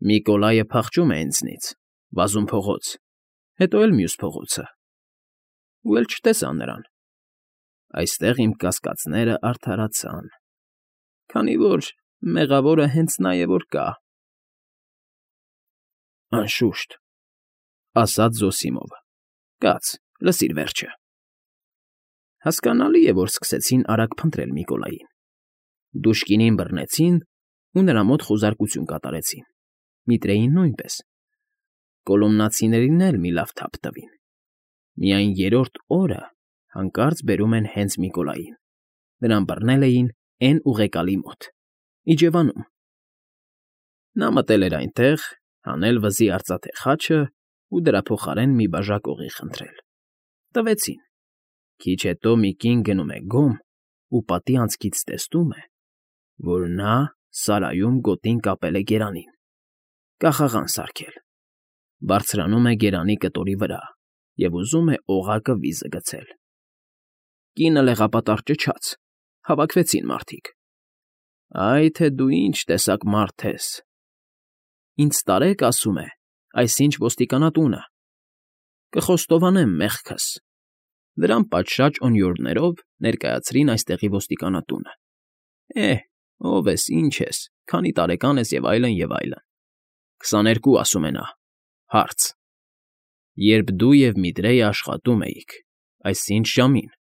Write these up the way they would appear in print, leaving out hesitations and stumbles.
Միկոլայը փախչում է ինձնից, վազում փողոց, հետո էլ մյուս փողոցը, ու էլ չտեսա նրան։ Այստեղ իմ կասկածները արդարացան, քանի որ մեղավորը հենց նա է, որ կա։ Անշուշտ, ասաց Զոսիմովը, կաց, լսիր վերջը։ Հասկանալի է, որ սկսեցին արագ փնտրել Միկոլային։ Դուշկինին բռնեցին ու նրա մոտ խուզարկություն կատարեցին, Միտրեին նույնպես։ Կոլոմնացիներին էլ մի լավ թափ տվին։ Միայն երրորդ օրը հանկարծ բերում են հենց Միկոլային։ Նրան բռնել էին էն ուղեկալի մոտ, իջևանում։ Նա մտել էր այնտեղ, հանել վզի արծաթե խաչը ու դրա փոխարեն մի բաժակ օղի խնդրել։ Տվեցին։ Քիչ հետո մի կին գնում է գոմ ու պատի անցքից տեսնում է, որ նա սարայում գոտին կապել է գերանին, կախաղան սարքել, բարձրանում է գերանի կտորի վրա և ուզում է օղակը վիզը գցել։ Կինը լեղապատառ ճչաց, հավաքվեցին մարդիկ։ Այ թե դու ինչ տեսակ մարդ ես։ Ինձ տարեք, ասում է, այսինչ ոստիկանատունը, կխոստովանեմ մեղքս։ Դրան պատշաճ օնյորներով ներկայացրին այստեղի ոստիկանատունը։ Ով ես, ինչ ես, քանի տարեկան ես և այլն, և այլն։ 22, ասում է նա, հարց. Երբ դու և Միտրեյը աշխատում էիք, այսինչ ժամին,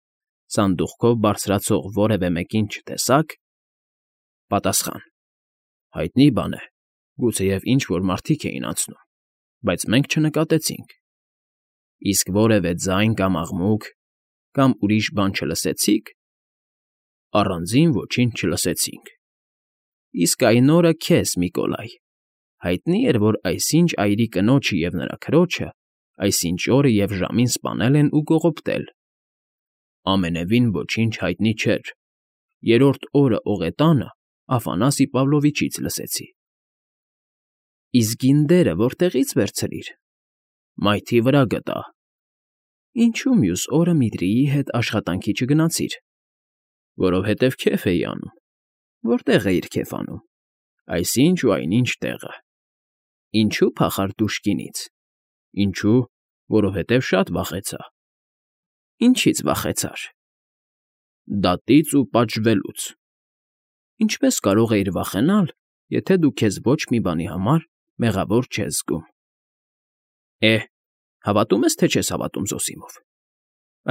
սանդուղքով բարձրացող որևէ մեկին չտեսա՞ք։ Պատասխան. հայտնի բան է, գուցեև ինչ֊որ մարդիկ էին անցնում, բայց մենք չնկատեցինք։ Իսկ որևէ ձայն կամ աղմուկ, կամ ուրիշ բան չլսեցի՞ք։ Առանձին ոչինչ չլսեցինք։ Իսկ այն օրը քեզ, Միկոլայ, հայտնի էր, որ այսինչ այրի կնոջը և նրա քրոջը այսինչ օրը և ժամին սպանել են ու կողոպտել։ Ամենևին ոչինչ հայտնի չէր։ Երրորդ օրը օղետանը Աֆանասի Պավլովիչից լսեցի։ Իսկ գինդերը որտեղի՞ց վերցրիր։ Մայթի վրա գտա։ Ինչու մյուս օրը Միտրիի հետ աշխատանքի չգնացիր։ Որովհետև քեֆ էի անում։ Որտեղ էիր քեֆ անում։ Այսինչ ու այնինչ տեղը։ Ինչու փախար Դուշկինից։ Ինչու, որովհետև շատ վախեցա։ Ինչից վախեցար։ Դատից ու պատժվելուց։ Ինչպես կարող էիր վախենալ, եթե դու քեզ ոչ մի բանի համար մեղավոր չես զգում։ Հավատում ես, թե չես հավատում, Զոսիմով։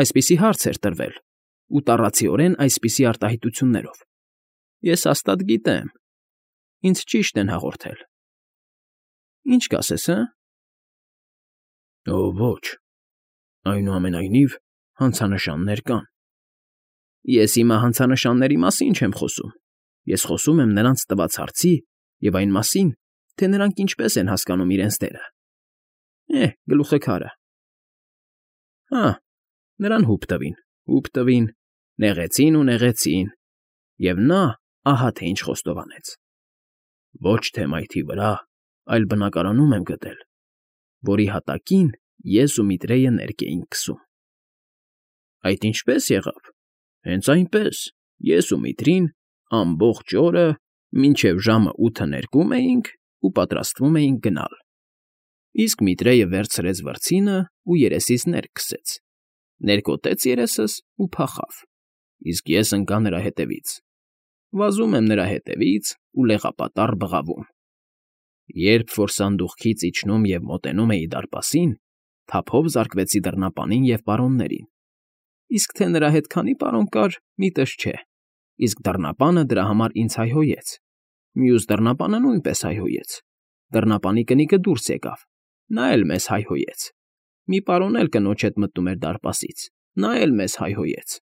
Այսպիսի հարց էր տրվել, ու տառացիորեն այսպիսի արտահայտություններով։ Ես հաստատ գիտեմ։ Ինձ ճիշտ են հաղորդել։ Ինչ կասես, Ոչ, այնուամենայնիվ հանցանշաններ կան։ Ես հիմա հանցանշանների մասին չեմ խոսում։ Ես խոսում եմ նրանց տված հարցի և այն մասին, թե նրանք ինչպես են հասկանում իրենց դերը։ Գլուխը քարը։ Նրան հուպ տվին, նեղեցին ու նեղեցին, և նա ահա թե ինչ խոստովանեց. ոչ թե մայթի վրա, այլ բնակարանում եմ գտել, որի հատակին ես ու Միտրեյը ներկը էինք քսում։ Այդ ինչպե՞ս եղավ։ Հենց այնպես, ես ու Միտրին ամբողջ օրը մինչև ժամը 8 ներկում էինք ու պատրաստվում էինք գնալ։ Իսկ Միտրեյը վերցրեց վրձինը ու երեսից ներք քսեց, ներկոտեց երեսս ու փախավ, իսկ ես ընկա նրա հետևից։ Վազում եմ նրա հետևից ու լեղապատառ բղավում։ Երբ որ սանդուղքից իջնում և մոտենում էի դարպասին, թափով զարկվեցի դռնապանին և պարոններին։ Իսկ թե նրա հետ քանի պարոն կար, միտս չէ, իսկ դռնապանը դրա համար ինձ հայհոյեց։ Մյուս դռնապանը նույնպես հայհոյեց։ Դռնապանի կնիկը դուրս եկավ, նա էլ մեզ հայհոյեց։ Մի պարոն էլ կնոջ հետ մտնում էր դարպասից, նա էլ մեզ հայհոյեց,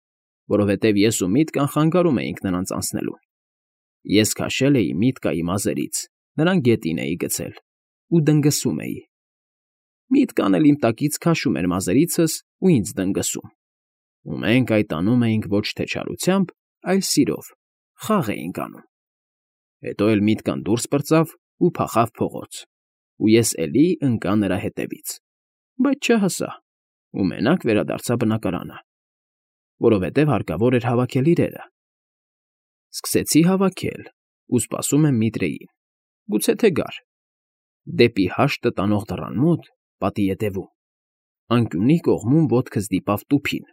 որովհետև ես ու Միտկան խանգարում էինք նրանց անցնելուն։ Ես քաշել էի Միտկայի մազերից, նրան գետին էի գցել ու դնգսում էի։ Միտկան էլ իմ տակից քաշում էր մազերիցս ու ինձ դնգսում։ Ու մենք այդ անում էինք ոչ թե չարությամբ, այլ սիրով, խաղ էինք անում։ Հետո էլ Միտկան դուրս պրծավ ու փախավ փողոց, ու ես էլի ընկա նրա հետևից, բայց չհասա, ու մենակ վերադարձա բնակարանը, որովհետև հարկավոր էր հավաքել իրերը։ Սկսեցի հավաքել ու սպասում եմ Միտրեյին, գուցե թե գար։ Դեպի հաշտը տանող դռան մոտ, պատի ետևում, անկյունի կողմում ոտքը ստիպավ տուփին։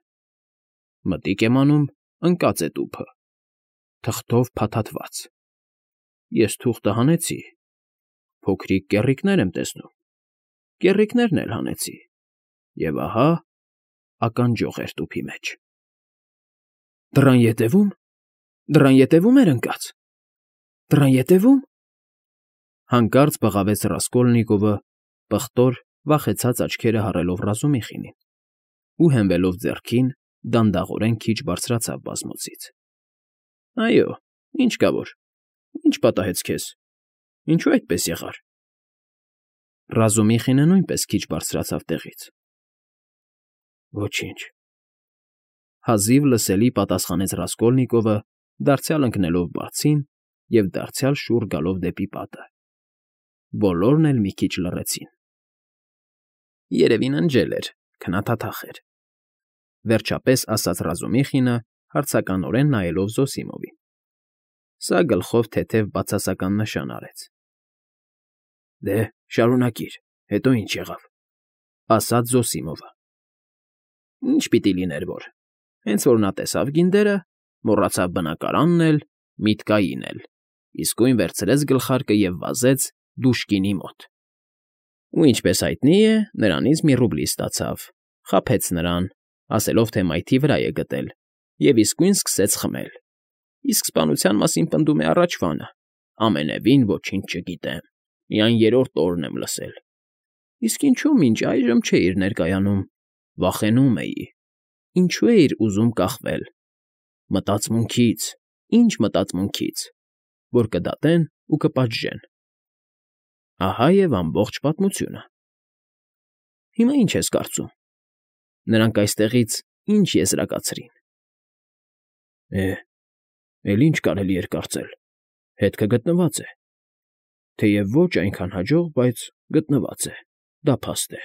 Մտիկ եմ անում, ընկած է տուփը, թղթով փաթաթված։ Ես թուղթը հանեցի, փոքրիկ կեռիկներ եմ տեսնում, կեռիկներն էլ հանեցի, և ահա ականջող էր տուփի մեջ։ Դռան ետևում էր ընկած։ Դռան ետևում։ Հանկարծ բղավեց Ռասկոլնիկովը, պղտոր, վախեցած աչքերը հառելով Ռազումիխինին ու հենվելով ձեռքին, դանդաղորեն քիչ բարձրացավ բազմոցից։ Այո, ինչ կա որ, ինչ պատահեց քեզ, ինչու այդպես եղար։ Ռազումիխինը նույնպես քիչ բարձրացավ տեղից։ Ոչինչ, հազիվ լսելի պատասխանեց Ռասկոլնիկովը, դարձյալ ընկնելով բարձին և դարձյալ շուռ գալով դեպի պատը։ Բոլորն էլ մի քիչ լռեցին։ Երևի ննջել էր, քնաթաթախ էր, վերջապես ասաց Ռազումիխինը, հարցականորեն նայելով Զոսիմովին։ Սա գլխով թեթև բացասական նշան արեց։ Դե, շարունակիր, հետո ինչ եղավ, ասաց Զոսիմովը։ Ինչ պիտի լիներ որ, հենց որ նա տեսավ գինդերը, մոռացավ բնակարանն էլ, միտկային էլ, իսկույն վերցրեց գլխարկը և վազեց Դուշկինի մոտ։ Ու ինչպես հայտնի է, նրանից մի ռուբլի ստացավ, խաբեց նրան, ասելով, թե մայթի վրա է գտել, և իսկույն սկսեց խմել։ Իսկ սպանության մասին պնդում է առաջվանը. ամենևին ոչինչ չգիտեմ, միայն երրորդ օրն եմ լսել։ Իսկ ինչու մինչ այժմ չէիր ներկայանում, վախենում էի, ինչու էիր ուզում կախվել։ Մտածմունքից, ինչ մտածմունքից, որ կդատեն ու կպատժեն։ Ահա և ամբողջ պատմությունը։ Հիմա ինչ ես կարծում։ Նրանք այստեղից ինչ եզրակացրին։ Էլ ինչ կարելի էր կարծել, հետքը գտնված է։ Թեև ոչ այնքան հաջող, բայց գտնված է, դա փաստ է։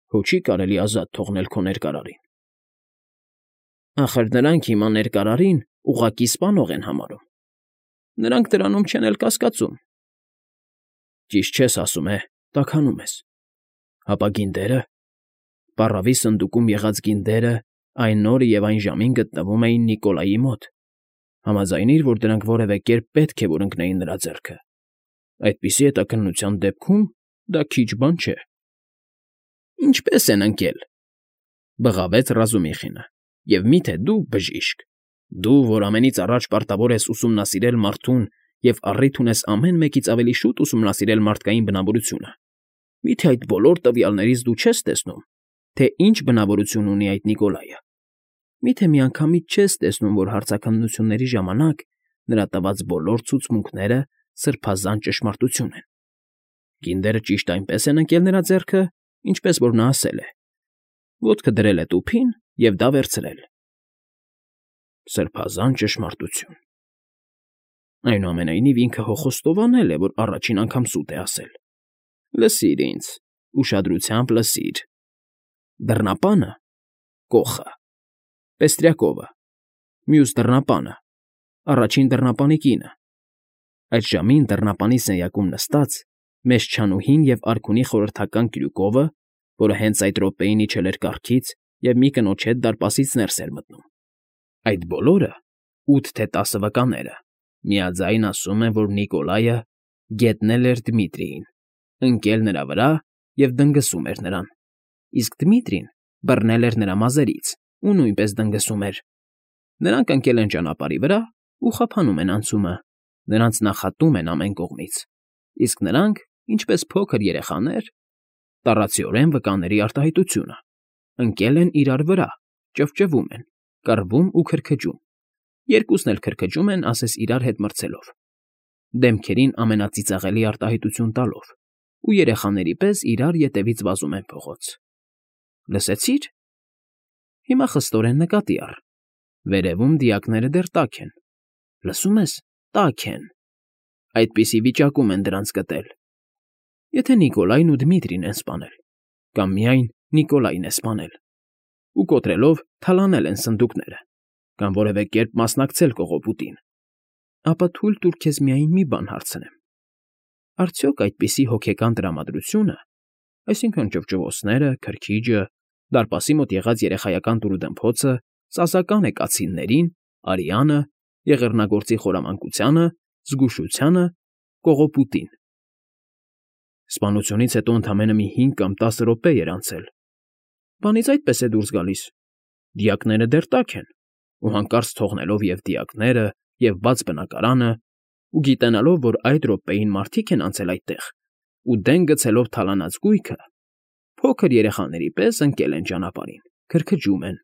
Հո չի կարելի ազատ թողնել քո ներկարարին։ Ախր նրանք հիմա ներկարարին ուղղակի սպանող են համարում։ Նրանք դրանում չեն էլ կասկածում։ Ճիշտ չես ասում, տաքանում ես։ Հապա գինդերը։ Պառավի սնդուկում եղած գինդերը այն օրը և այն ժամին գտնվում էին Նիկոլայի մոտ։ Համաձայնիր, որ դրանք որևէ կերպ պետք է որ ընկնեին նրա ձեռքը։ Այդպիսի հետաքննության դեպքում դա քիչ բան չէ։ Ինչպե՞ս են ընկել,֊ բղավեց Ռազումիխինը,֊ և մի՞թե դու, բժիշկ, դու, որ ամենից առաջ պարտավոր ես ուսումնասիրել մարդուն և առիթ ունես ամեն մեկից ավելի շուտ ուսումնասիրել մարդկային բնավորությունը, մի՞թե այդ բոլոր տվյալներից դու չես տեսնում, թե ինչ բնավորություն ունի այդ Նիկոլայը։ Մի՞թե միանգամից չես տեսնում, որ հարցաքննությունների ժամանակ նրա տված բոլոր ցուցմունքները սրբազան ճշմարտություն են։ Գինդերը ճիշտ այնպես են ընկել նրա ձեռքը, ինչպես որ նա ասել է։ Ոտքը դրել է տուփին և դա վերցրել։ Սրբազան ճշմարտություն։ Այնուամենայնիվ ինքը հո խոստովանել է, որ առաջին անգամ սուտ է ասել։ Լսիր ինձ, ուշադրությամբ լսիր։ Դռնապանը՝ կոխը, Պեստրյակովը, մյուս դռնապանը, առաջին դռնապանի կինը։ Այդ ժամին դռնապանի սենյակում նստած, մեծ չանուհին և արքունի խորհրդական Կրյուկովը, որը հենց այդ րոպեին իջել էր կառքից և մի կնոջ հետ դարպասից ներս էր մտնում։ Այդ բոլորը, 8 թե 10 վկաները, միաձայն ասում են, որ Նիկոլայը գետնել էր Դմիտրիին, ընկել նրա վրա և դնգսում էր նրան, իսկ Դմիտրին բռնել էր նրա մազերից ու նույնպես դնգսում էր։ Նրանք ընկել են ճանապարհի վրա ու խափանում են անցումը, նրանց նախատում են ամեն կողմից, իսկ նրանք, ինչպես փոքր երեխաներ, տառացիորեն վկաների արտահայտությունը, ընկել են իրար վրա, ճվճվում են, կռվում ու քրքջում, երկուսն էլ քրքջում են, ասես իրար հետ մրցելով, դեմքերին ամենածիծաղելի արտահայտություն տալով ու երեխաների պես իրար ետևից վազում են փողոց։ Լսեցի՞ր։ Հիմա խստորեն նկատի առ։ Վերևում դիակները դեռ տաք են։ Լսում ես, տաք են։ Այդպիսի վիճակում են դրանց գտել։ Եթե Նիկոլայն ու Դմիտրին են սպանել, կամ միայն Նիկոլայն է սպանել, ու կոտրելով թալանել են սնդուկները, կամ որևէ կերպ մասնակցել կողոպուտին, ապա թույլ տուր քեզ միայն մի բան հարցնեմ։ Արդյոք այդպիսի հոգեկան տրամադրությունը, այսինքն ճվճվոցները, քրքիջը, դարպասի մոտ եղած երեխայական տուրուդմփոցը, ծազական է կացիններին, արյանը, եղեռնագործի խորամանկությանը, զգուշությանը, կողոպուտին։ Սպանությունից հետո ընդամենը մի 5 կամ 10 րոպե էր անցել։ Բանից այդպես է դուրս գալիս։ Դիակները դեռ տաք են, ու հանկարծ թողնելով և դիակները, և բաց բնակարանը, ու գիտենալով, որ այդ րոպեին մարդիկ են անցել այդտեղ, ու դեն գցելով թալանած գույքը, փոքր երեխաների պես ընկել են ճանապարհին, քրքջում են,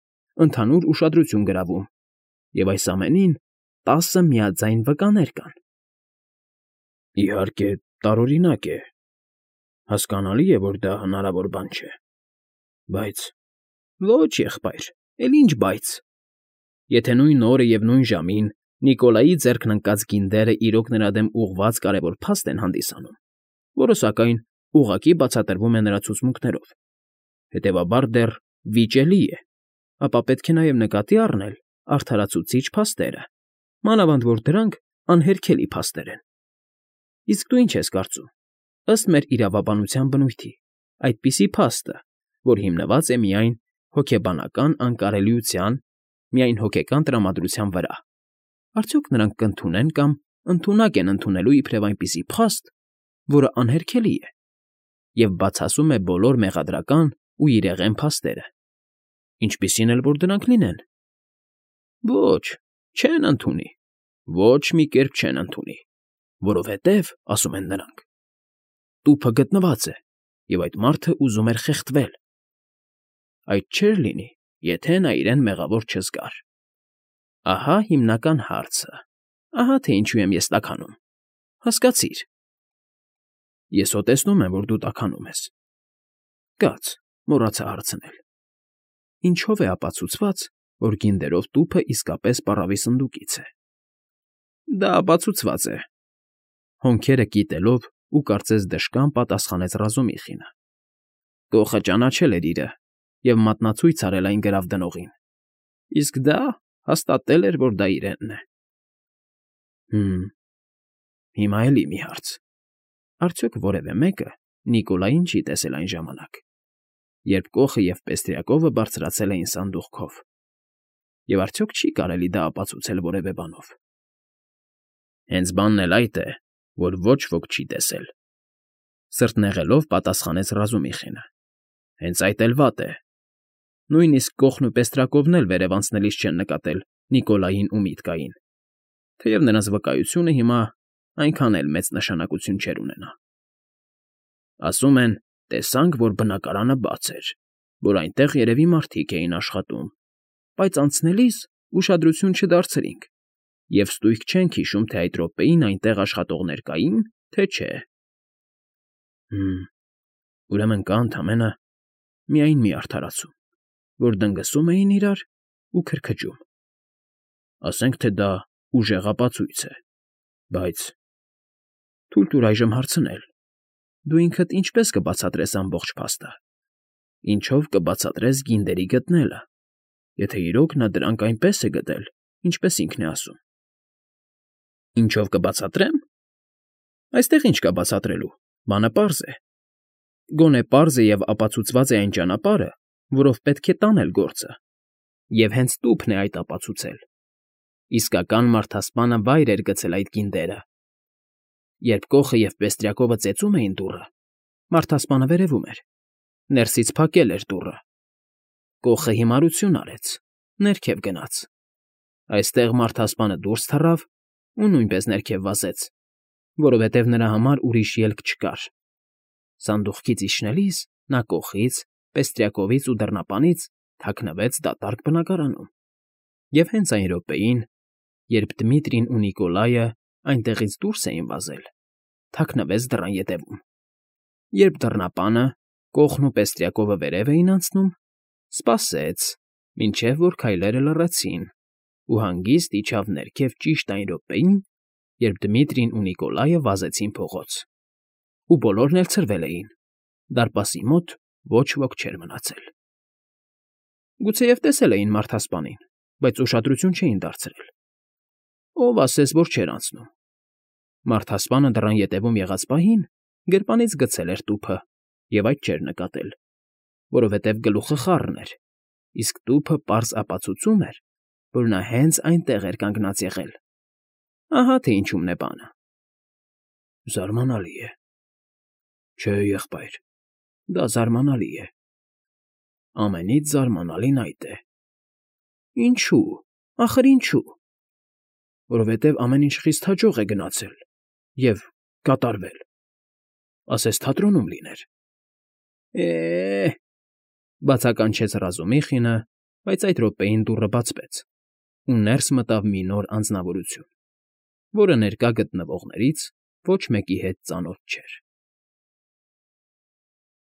ընդհանուր ուշադրություն գրավում, և այս ամենին 10 միաձայն վկաներ կան։ Իհարկե, տարօրինակ է, հասկանալի է, որ դա հնարավոր բան չէ, բայց… Ոչ, եղբայր, էլ ինչ բայց… Եթե նույն օրը և նույն ժամին Նիկոլայի ձեռքն ընկած գինդերը իրոք նրա դեմ ուղղված կարևոր փաստ են հանդիսանում, որը, սակայն, ուղղակի բացատրվում է նրա ցուցմունքներով, հետևաբար դեռ վիճելի է, ապա պետք է նաև նկատի առնել արդարացուցիչ փաստերը, մանավանդ որ դրանք անհերքելի փաստեր են։ Իսկ դու ինչ ես կարծում, ըստ մեր իրավաբանության բնույթի, այդպիսի փաստը, որ հիմնված է միայն հոգեբանական անկարելիության, միայն հոգեկան տրամադրության վրա, արդյոք նրանք կընդունեն կամ ընդունակ են ընդունելու իբրև այնպիսի փաստ, որը անհերքելի է և բացասում է բոլոր մեղադրական ու իրեղեն փաստերը, ինչպիսին էլ որ դրանք լինեն։ Ոչ, չեն ընդունի, ոչ մի կերպ չեն ընդունի, որովհետև, ասում են նրանք, տուփը գտնված է, և այդ մարդը ուզում էր խեղդվել։ Այդ չէր լինի, եթե նա իրեն մեղավոր չզգար։ Ահա հիմնական հարցը, ահա թե ինչու եմ ես տաքանում, հասկացիր։ Ես հո տեսնում եմ, որ դու տաքանում ես։ Կաց, մոռացա հարցնել. ինչով է ապացուցված, որ գինդերով տուփը իսկապես պառավի սնդուկից է։ Դա ապացուցված է, հոնքերը կիտելով ու կարծես դժկան պատասխանեց Ռազումիխինը։ Գողը ճանաչել էր իրը և մատնացույց արել այն գրավ դնողին, իսկ դա հաստատել էր, որ դա իրենն է։ Հիմա էլի մի հարց. արդյոք որևէ մեկը Նիկոլային չի տեսել այն ժամանակ, երբ Կոխը և Պեստրյակովը բարձրացել էին սանդուղքով, և արդյոք չի կարելի դա ապացուցել որևէ բանով։ Հենց բանն էլ այդ է, որ ոչ ոք չի տեսել, սրտնեղելով պատասխանեց Ռազումիխինը։ Հենց այդ էլ վատ է։ Նույնիսկ Կոխն ու Պեստրակովն էլ վերև անցնելիս չեն նկատել Նիկոլային ու Միտկային, թեև նրանց վկայությունը հիմա այնքան էլ մեծ նշանակություն չէր ունենա։ Ասում են, տեսանք, որ բնակարանը բաց էր, որ այնտեղ երևի մարդիկ էին աշխատում, բայց անցնելիս ուշադրություն չդարձրինք և ստույգ չենք հիշում, թե այդ րոպեին այնտեղ աշխատողներ կային, թե չէ։ Ուրեմն կա ընդամենը միայն մի արդարացում, որ դնգսում էին իրար ու քրքջում։ Ասենք թե դա ուժեղ ապացույց է, բայց… Թույլ տուր այժմ հարցնել. դու ինքդ ինչպես կբացատրես ամբողջ փաստը, ինչով կբացատրես գինդերի գտնելը, եթե իրոք նա դրանք այնպես է գտել, ինչպես ինքն է ասում։ Ինչով կբացատրեմ։ Այստեղ ինչ կա բացատրելու, բանը պարզ է։ Գոնե պարզ է և ապացուցված է այն ճանապարհը, որով պետք է տանել գործը, և հենց տուփն է այդ ապացուցել։ Իսկական մարդասպանը վայր էր գցել այդ գինդերը։ Երբ Կոխը և Պեստրյակովը ծեծում էին դուռը, մարդասպանը վերևում էր, ներսից փակել էր դուռը։ Կոխը հիմարություն արեց, ներքև գնաց։ Այստեղ մարդասպանը դուրս թռավ ու նույնպես ներքև վազեց, որովհետև նրա համար ուրիշ ելք չկար։ Սանդուղքից իջնելիս նա Կոխից, Պեստրյակովից ու դռնապանից թաքնվեց դատարկ բնակարանում։ Եվ հենց այն րոպեին, երբ Դմիտրին ու Նիկոլայը այնտեղից դուրս էին վազել, թաքնվեց դռան ետևում։ Երբ դռնապանը, Կոխն ու Պեստրյակովը վերև էին անցնում, սպասեց, մինչև որ քայլերը լռեցին, ու հանգիստ իջավ ներքև ճիշտ այն րոպեին, երբ Դմիտրին ու Նիկոլայը վազեցին փողոց։ Ու բոլորն էլ ցրվել էին, դարպասի մոտ ոչ ոք չէր մնացել։ Գուցեև տեսել էին մարդասպանին, բայց ուշադրություն չէին դարձրել։ Ով ասես, որ չէր անցնում։ Մարդասպանը դռան ետևում եղած պահին գրպանից գցել էր տուփը և այդ չէր նկատել, որովհետև գլուխը խառն էր, իսկ տուփը պարզ ապացուցում էր, որ նա հենց այնտեղ էր կանգնած եղել։ Ահա թե ինչումն է բանը։ Զարմանալի է։ Չէ, եղբայր, դա զարմանալի է։ Ամենից զարմանալին այդ է։ Ինչու՞, ախր ինչու։ Որովհետև ամեն ինչ խիստ հաջող է գնացել և կատարվել, ասես թատրոնում լիներ։ Է՜, բացականչեց Ռազումիխինը, բայց այդ րոպեին դուռը բացվեց, ու ներս մտավ մի նոր անձնավորություն, որը ներկա գտնվողներից ոչ մեկի հետ ծանոթ չէր։